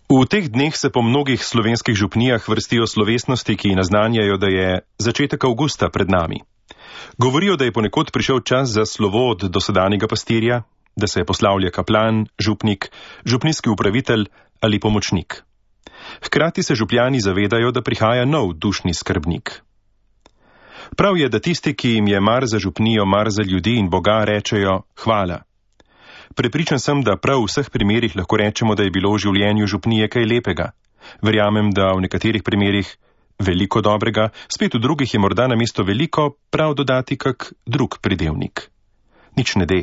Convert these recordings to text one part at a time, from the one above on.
V teh dneh se po mnogih slovenskih župnijah vrstijo slovesnosti, ki naznanjajo, da je začetek avgusta pred nami. Govorijo, da je ponekod prišel čas za slovo od dosedanjega pastirja, da se poslavlja kaplan, župnik, župnijski upravitelj ali pomočnik. Hkrati se župljani zavedajo, da prihaja nov dušni skrbnik. Prav je, da tisti, ki jim je mar za župnijo, mar za ljudi in Boga, rečejo hvala. Prepričan sem, da prav v vseh primerih lahko rečemo, da je bilo v življenju župnije kaj lepega. Verjamem, da v nekaterih primerih veliko dobrega, spet v drugih je morda namesto veliko prav dodati kak drug pridevnik. Nič ne de.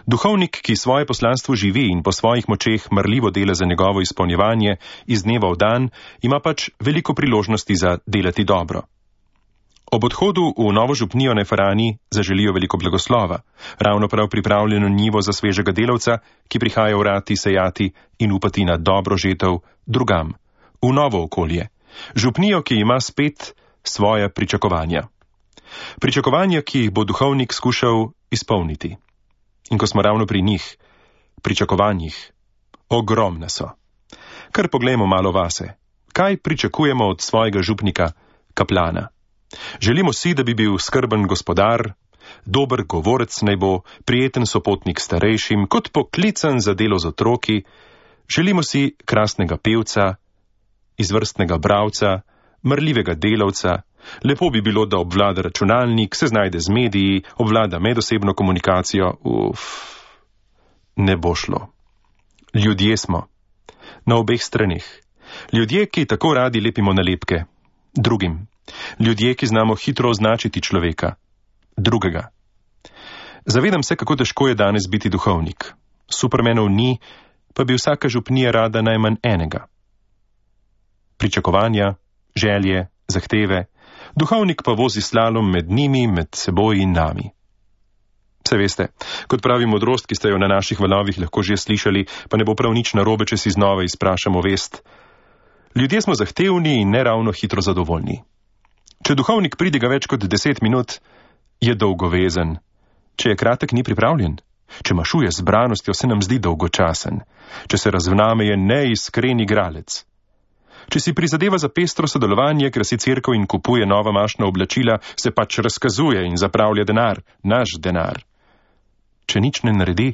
Duhovnik, ki svoje poslanstvo živi in po svojih močeh marljivo dela za njegovo izpolnjevanje iz dneva v dan, ima pač veliko priložnosti za delati dobro. Ob odhodu v novo župnijo na Farani zaželijo veliko blagoslova, ravno prav pripravljeno njivo za svežega delavca, ki prihaja vrati sejati in upati na dobro žetev drugam, v novo okolje, župnijo, ki ima spet svoje pričakovanja. Pričakovanja, ki jih bo duhovnik skušal izpolniti. In ko smo ravno pri njih, pričakovanjih, ogromna so. Kar poglejmo malo vase. Kaj pričakujemo od svojega župnika, kaplana? Želimo si, da bi bil skrben gospodar, dober govorec naj bo, prijeten sopotnik starejšim, kot poklican za delo z otroki. Želimo si krasnega pevca, izvrstnega bralca, marljivega delavca. Lepo bi bilo, da obvlada računalnik, se znajde z mediji, obvlada medosebno komunikacijo. Ne bo šlo. Ljudje smo. Na obeh stranih. Ljudje, ki tako radi lepimo nalepke. Drugim. Ljudje, ki znamo hitro označiti človeka. Drugega. Zavedam se, kako težko je danes biti duhovnik. Supermenov ni, pa bi vsaka župnija rada najmanj enega. Pričakovanja, želje, zahteve. Duhovnik pa vozi slalom med njimi, med seboj in nami. Vse veste, kot pravi modrost, ki ste jo na naših valovih lahko že slišali, pa ne bo prav nič narobe, če si znova izprašamo vest. Ljudje smo zahtevni in neravno hitro zadovoljni. Če duhovnik pridiga več kot 10 minut, je dolgovezen. Če je kratek, ni pripravljen. Če mašuje z branostjo, se nam zdi dolgočasen. Če se razvname, je neiskren igralec. Če si prizadeva za pestro sodelovanje, krasi cerkev in kupuje nova mašna oblačila, se pač razkazuje in zapravlja denar, naš denar. Če nič ne naredi,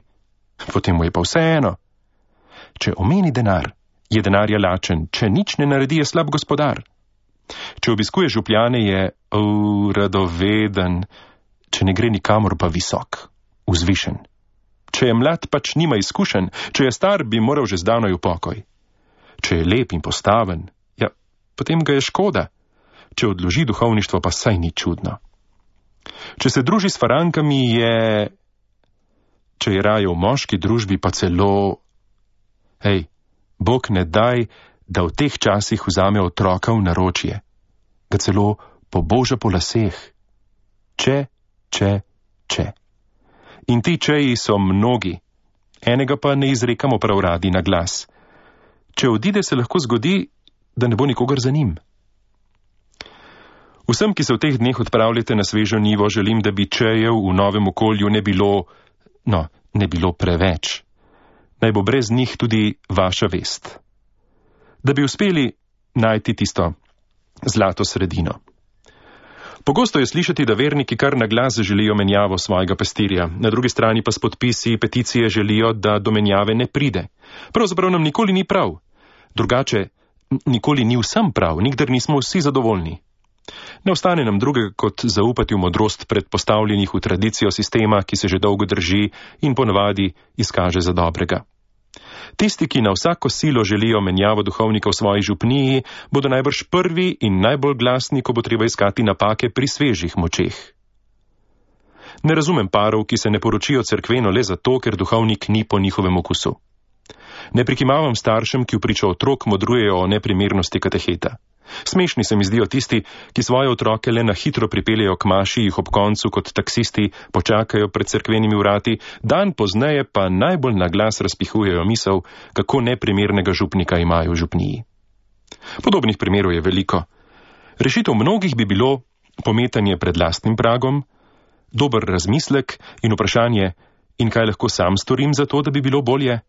potem mu je pa vseeno. Če omeni denar, je denarja lačen, če nič ne naredi, je slab gospodar. Če obiskuje župljane, je radoveden, če ne gre nikamor, pa visok, vzvišen. Če je mlad, pač nima izkušenj, če je star, bi moral že zdavnaj v pokoj. Če je lep in postaven, ja, potem ga je škoda. Če odloži duhovništvo, pa saj ni čudno. Če se druži s farankami, če je raje v moški družbi, pa celo... Bog ne daj, da v teh časih vzame otroka v naročje. Ga celo poboža po laseh. Če. In ti čeji so mnogi. Enega pa ne izrekamo prav radi na glas. Če odide, se lahko zgodi, da ne bo nikogar za njim. Vsem, ki se v teh dneh odpravljate na svežo njivo, želim, da bi čejev v novem okolju ne bilo preveč. Naj bo brez njih tudi vaša vest. Da bi uspeli najti tisto zlato sredino. Pogosto je slišati, da verniki kar na glas želijo menjavo svojega pastirja, na drugi strani pa s podpisi peticije želijo, da do menjave ne pride. Pravzaprav nam nikoli ni prav. Drugače, nikoli ni vsem prav, nikdar nismo vsi zadovoljni. Ne ostane nam drugega, kot zaupati v modrost predpostavljenih v tradicijo sistema, ki se že dolgo drži in ponavadi izkaže za dobrega. Tisti, ki na vsako silo želijo menjavo duhovnika v svoji župniji, bodo najbrž prvi in najbolj glasni, ko bo treba iskati napake pri svežih močeh. Ne razumem parov, ki se ne poročijo cerkveno le zato, ker duhovnik ni po njihovem okusu. Ne prikimavam staršem, ki vpričo otrok modrujejo o neprimernosti kateheta. Smešni se mi zdijo tisti, ki svoje otroke le na hitro pripeljejo k maši, jih ob koncu kot taksisti počakajo pred cerkvenimi vrati, dan pozneje pa najbolj na glas razpihujejo misel, kako neprimernega župnika imajo v župniji. Podobnih primerov je veliko. Rešitev mnogih bi bilo pometanje pred lastnim pragom, dober razmislek in vprašanje, in kaj lahko sam storim za to, da bi bilo bolje?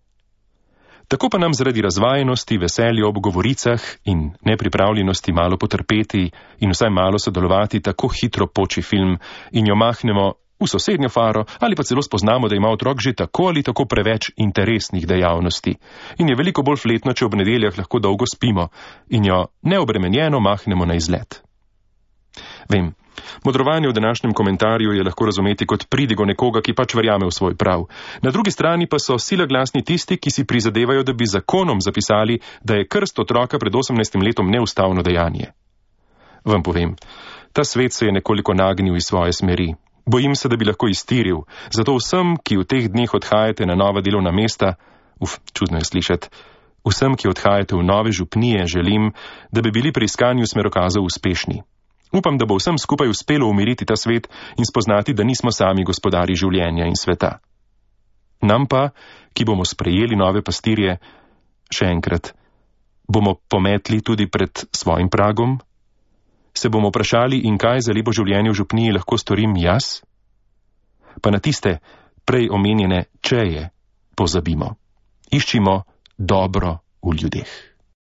Tako pa nam zaradi razvajenosti, veselja ob govoricah in nepripravljenosti malo potrpeti in vsaj malo sodelovati tako hitro poči film in jo mahnemo v sosednjo faro ali pa celo spoznamo, da ima otrok že tako ali tako preveč interesnih dejavnosti in je veliko bolj fletno, če ob nedeljah lahko dolgo spimo in jo neobremenjeno mahnemo na izlet. Vem, modrovanje v današnjem komentarju je lahko razumeti kot pridigo nekoga, ki pač verjame v svoj prav. Na drugi strani pa so sila glasni tisti, ki si prizadevajo, da bi zakonom zapisali, da je krst otroka pred 18 letom neustavno dejanje. Vam povem, ta svet se je nekoliko nagnil iz svoje smeri. Bojim se, da bi lahko iztiril, zato vsem, ki v teh dneh odhajate na nova delovna mesta, čudno je slišati, vsem, ki odhajate v nove župnije, želim, da bi bili pri iskanju smerokazov uspešni. Upam, da bo vsem skupaj uspelo umiriti ta svet in spoznati, da nismo sami gospodari življenja in sveta. Nam pa, ki bomo sprejeli nove pastirje, še enkrat, bomo pometli tudi pred svojim pragom? Se bomo vprašali, in kaj za lepo življenje v župniji lahko storim jaz? Pa na tiste prej omenjene čeje pozabimo. Iščimo dobro v ljudeh.